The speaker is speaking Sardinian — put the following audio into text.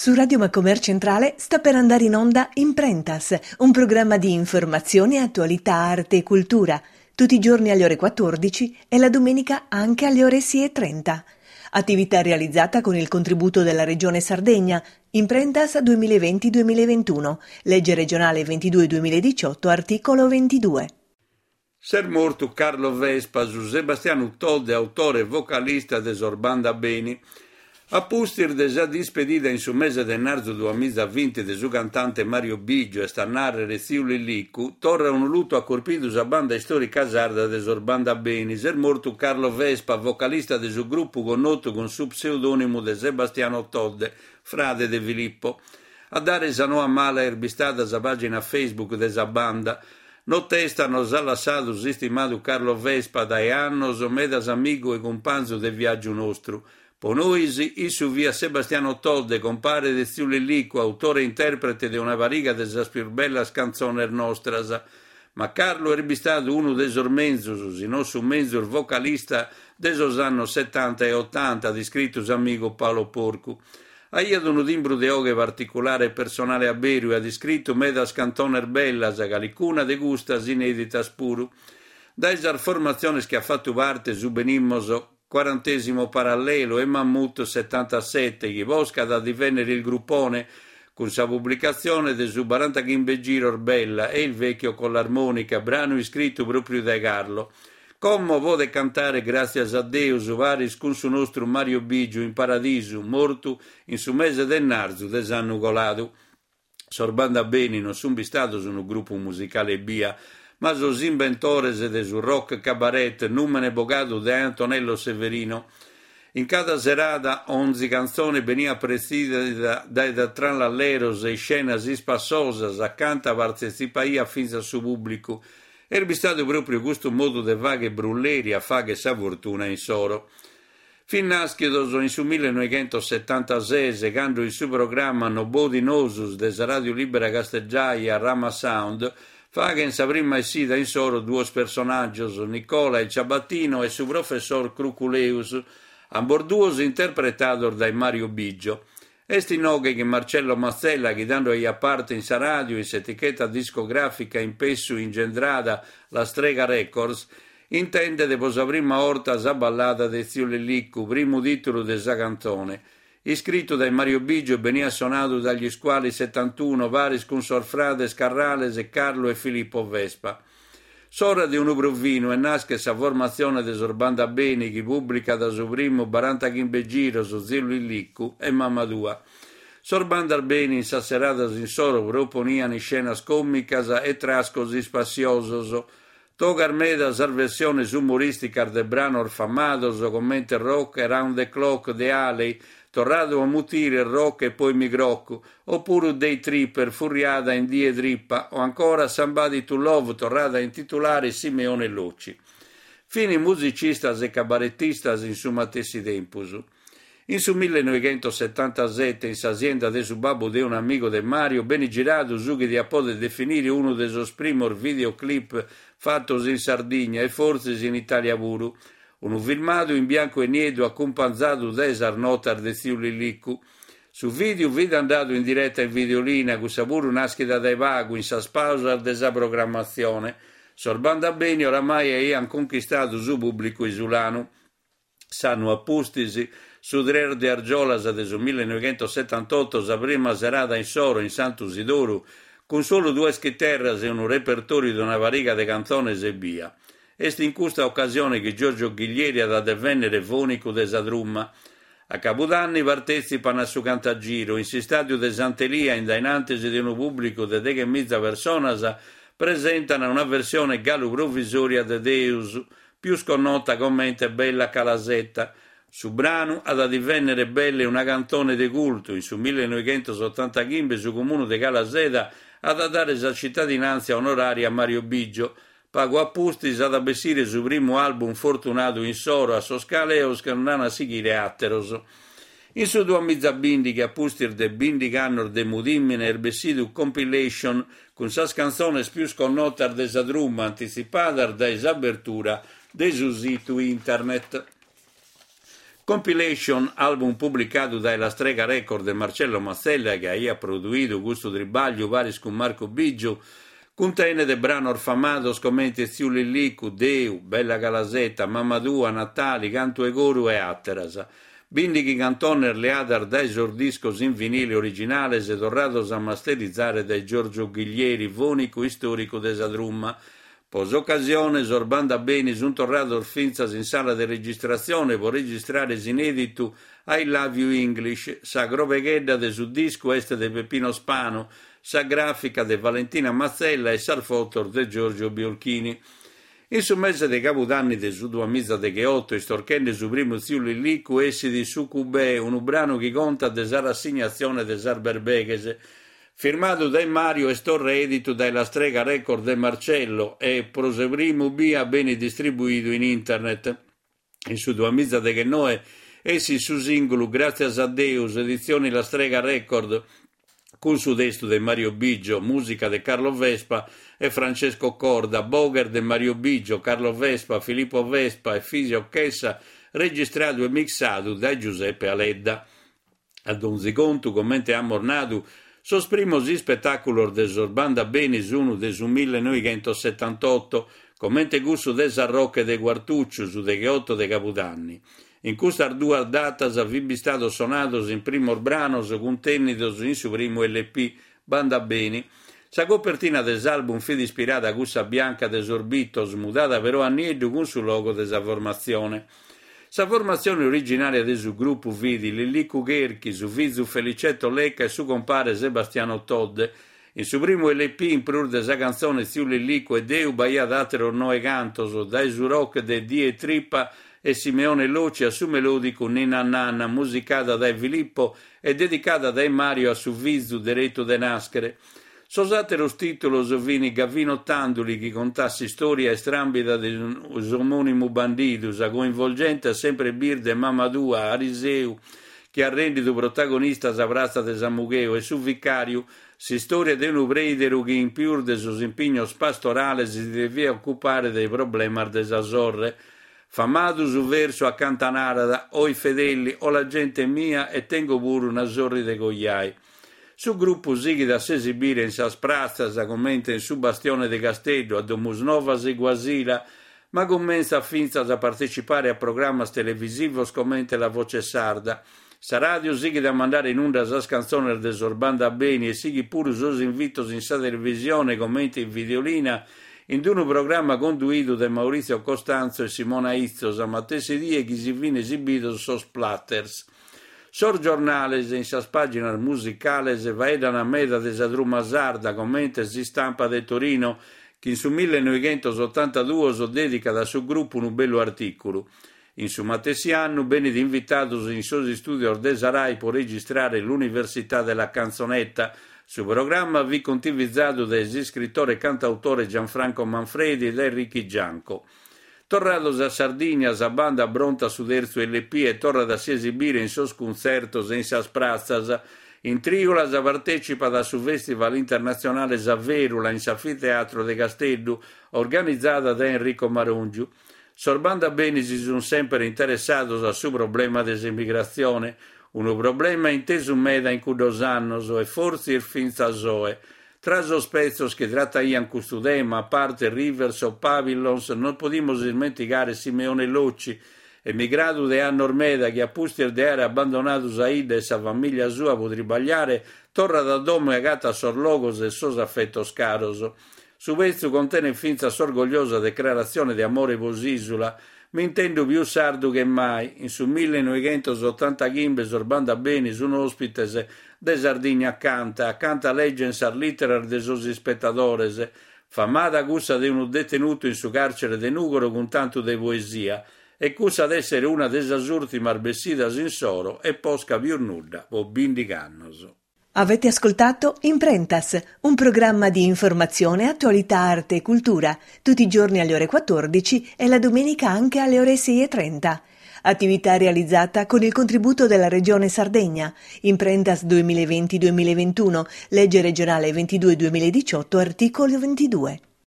Su Radio Macomer Centrale sta per andare in onda Imprentas, un programma di informazione, attualità, arte e cultura, tutti i giorni alle ore 14 e la domenica anche alle ore 6.30. Attività realizzata con il contributo della Regione Sardegna, Imprentas 2020-2021, legge regionale 22-2018, articolo 22. S'est mortu Carlo Vespa, su Sebastianu Todde, autore e vocalista de sos Banda Beni. A pustis de sa dispedida in su mese de ennarzu duamizavinti de su cantante Mario Biggio, est a nàrrere Tziu Lillicu, torra unu lutu at corpidu sa banda istòrica sarda de sos Banda Beni, s'est mortu Carlo Vespa, vocalista de su grupu connotu cun su pseudònimu de Sebastiano Todde, frade de Filippo. A dare sa noa mala est bistada sa pàgina Facebook de sa banda. Notesta nos at lassadu s'istimadu Carlo Vespa dae annos medas amigu e cumpanzu de viàgiu nostru. Po nois, issu fiat Sebastiano Todde, compare de tziu Lillicu, autore e interprete de una pariga de sas pius bellas cantzones nostras. Ma Carlo est bistadu unu de sos menzus, si non su menzus vocalista de sos annos setanta e otanta, at iscritu s'amigu Paolo Porcu. Aiat unu timbru de 'oghe particulare e personale a beru e at iscritu medas cantones bellas, calicuna de custas inèditas puru. Dae sas formatziones chi at fatu parte subenimos Quarantesimo Parallelo e Mammut setantasete, chi posca at a divènnere Il Gruppone, cun sa publicatzione de su barantachimbe giros Bella e Il vecchio con l'armonica, branu iscritu pròpriu dae Carlo. Como podet cantare gràtzias a Deus paris cun su nostru Mario Bigiu in Paradisu, mortu in su mese de ennarzu de s'annu coladu. Sos Banda Beni non sunt bistados unu grupu musicale ebbia, ma sos imbentores de su rock cabaret, nùmene bogadu dae Antonello Severino. In cada serada onzi cantzone beniat pretzìdida dae trallalleros e iscenas ispassosas acanta partetzipaiat fintzas su pùblicu, Est bistadu pròpriu custu modu de fàghere brulleri a fàghere sa fortuna insoro. Fin nàschidos in su millenoighentosetantases, cando in su programma Nobodi Nosus de sa Ràdiu Lìbera Casteddaia Rama Sound faghen sa prima essida insoro duos personàgios, Nicola il Ciabattino e su professor Cruculeus, ambos duos interpretados dae Mario Biggio. Est inoghe chi Marcello Mazzella, chi tando aiat parte in sa ràdiu in s'eticheta discogràfica in pessu ingendrada La Strega Records, intendet pro sa prima 'orta sa ballada de Tziu Lillicu, primu tìtulu de sa cantzone. Iscritu dae Mario Biggio beniat sonadu dae gli Squali 71 paris cun sos frades Carrales Carlo e Filippo Vespa. S'ora de unu provinu e naschet sa formatzione de sos Banda Beni chi pùblicat su primu barantachimbe giros Tziu Lillicu e Mama tua. Sos Bandas Beni in sas seradas insoro proponian iscenas còmicas e trascos ispassiosos. Togas meda sas versiones umorìsticas de branos famados comente Rock Around the Clock de Haley, torradu a mutire Rock e poi mi crocco, Opuru Day Tripper, furriada in Die Trippa, o ancora Somebody to Love, torrada a intitulare Simeone Locci. Fini musicistas e cabaretistas in su matessi tempus. In su millenoighentosetantasete, in sa sienda de su babbu de un'amigu de Mario, benit giradu su chi diat poder definire unu de sos primos videoclip fatos in Sardigna e fortzis in Italia puru. Unu filmadu in biancu e nieddu acumpanzadu dae sas notas de Tziu Lillicu. Su vìdeu fit andadu in direta in Videolina, cussa puru nàschida dae pagu, in sas pàusas de sa programmatzione. Sos Banda Beni oramai aiant conchistadu su pùblicu isulanu. S'annu a pustis, su tres de argiolas de su millenoighentosetantoto, sa prima serada insoro in Santu Sidoru, cun solu duas chiterras e unu repertòriu de una pariga de cantzones ebbia. Est in custa ocasione chi Giorgio Ghiglieri at a devènnere fònicu de sa truma. A cabudanni partètzipan a su Cantagiro, in s'istàdiu de Sant'Elia, in dae in antis de unu pùblicu de deghemiza personas, presentan una versione galu provisòria de Deus, pius connota comente Bella Calasetta. Su branu at a divènnere belle una cantone de cultu, in su millenoighentosottantachimbe su comunu de Calaseda at a dare sa citadinàntzia onorària a Mario Biggio, Pagu a pustis at a bessire su primu album fortunadu insoro a sos cales nd'an a sighire àteros. In su duamizabìndighi, a pustis de bìndighi annos de mudìmine, est bessidu Compilation cun sas cantzones pius connotas de sa truma antitzipadas dae s'abertura de su situ internet. Compilation, album publicadu dae La Strega Record de Marcello Mazzella chi aiat produidu custu tribagliu paris cun Marco Biggio, cuntenet branos famados comente Tziu Lillicu, Deu, Bella Calasetta, Mama tua, Natali, Cantu 'e coru e àteras. Bìndighi cantones leadas dae sos discos in vinile originales torrados a masterizare dae Giorgio Ghiglieri, fònicu istòricu de sa truma. Pro s'ocasione sos Banda Beni sunt torrados fintzas in sala de registratzione pro registrare s'inèditu I Love You English. Sa crobeghedda de su discu est de Peppino Spano, sa gràfica de Valentina Mazzella e sas fotos de Giorgio Biolchini. In su mese de cabudanni de su duamizadegheoto, istorchende su primu Tziu Lillicu, essit Su Cubè, unu branu chi contat de sa rassignatzione de sas berbeghes. Firmadu dae Mario est torra editu dae La Strega Record de Marcello e, pro sa primu bia, benit distribuidu in internet. In su duamizadeghennoe essit su sìngulu Gràtzias a Deus, editzioni La Strega Record, cun su testu de Mario Biggio, mùsica de Carlo Vespa e Francesco Corda, boghes de Mario Biggio, Carlo Vespa, Filippo Vespa e Fisio Chessa, registradu e mixadu dae Giuseppe Aledda. A donzi contu, comente amus nadu, sos primos ispetàculos de sos Banda Beni sun de su millenoighentosetantotto, comente cussu de Sarroch de Quartucciu, su degheotto de cabudanni. In custas duas datas fin bistados sonados is primos branos cuntènnidos in su primu LP, Banda Beni. Sa copertina de s'album fit ispirada a cussa bianca de sos Beatles, mudada però a nieddu cun su logo de sa formatzione. Sa formatzione originària de su grupu fit Lillicu Cherchi, su fizu Felicetto Lecca e su compare Sebastiano Todde. In su primu LP, in prus de sa cantzone Tziu Lillicu e Deu, b'aiat àteros noe cantos, dae su rock de Die 'e Trippa e Simeone Locci a su melòdicu Ninna Nanna, musicada dae Filippo e dedicada dae Mario a su fizu deretu de nàschere. Sos àteros tìtulos fin Gavino Tanduli chi contat s'istòria istràmbida de s'omònimu bandidu, sa coinvolgente e sempre birde Mama tua, Ariseu, chi at rèndidu protagonista sa pratza de Samugheo, e Su Vicàriu, s'istòria de unu preideru chi in pius de sos impignos pastorales si deviat ocupare de problemas de sa sorre. Famadu su versu acanta narat, Ho i fedelli, ho la gente mia e tengo puru una sorri de coiai. Su grupu sighit a s'esibire in sas pratzas, comente in su Bastione de Casteddu, a Domusnovas e Guasila, ma cumentzat fintzas a partecipare a programmas televisivos comente La Voce Sarda. Sa ràdiu sighit a mandare in unda sas cantzones de sos Banda Beni e sighit puru sos invitos in sa televisione comente in Videolina in unu programma conduidu dae Maurizio Costanzo e Simona Izzo sa matessi die chi si fin esibidos sos Platters. Sos giornales, in sas pàginas musicales, faeddan meda de sa truma sarda, comente s'Istampa de Torino, chi in su millenoighentosotantaduos dèdicat a su grupu unu bellu artìculu. In su matessi annu benit invitados in sos istùdios de sa Rai pro registrare L'Università della Canzonetta. Su programma fit contivizadu dae s'iscritore e cantautore Gianfranco Manfredi e dae Ricky Gianco. Torrados a Sardigna, sa banda aprontat su tertzu LP e torrat a si esibire in sos cuntzertos e in sas pratzas. In trìulas partècipat a su Fèstival Internatzionale Sa Fèrula in s'Anfiteatro de Casteddu, organizada dae Enrico Marongiu. Sos Banda Beni si sunt semper interessados a su problema de s'emigratzione, unu problema intesu meda in cuddos annos e fortzis fintzas oe. Tra sos petzos chi trataiant custu tema, a parte Rivers of Pavillons, non podimus ismentigare Simeone Locci, emigradu de annos meda chi a pustis de àere abbandonadu sa 'idda e sa famìllia sua pro tribagliare, torrat a domo e agatat sos logos e sos afetos caros. Su petzu contenet fintzas s'orgogliosa decraratzione de amore pro s'ìsula, M'intendo pius sardu che mai. In su millenoighentosotantaghimbe sos Banda Beni sun òspites de Sardigna Canta, acanta leggen sas lìteras de sos ispetadores, famada cussa de unu detenutu in su càrcere de Nùgoro cun tantu de poesia, e cussa at èssere una de sas ùrtimas bessidas insoro e posca pius nudda pro bìndigh'annos. Avete ascoltato Imprentas, un programma di informazione, attualità, arte e cultura, tutti i giorni alle ore 14 e la domenica anche alle ore 6.30. Attività realizzata con il contributo della Regione Sardegna. Imprentas 2020-2021, legge regionale 22-2018, articolo 22.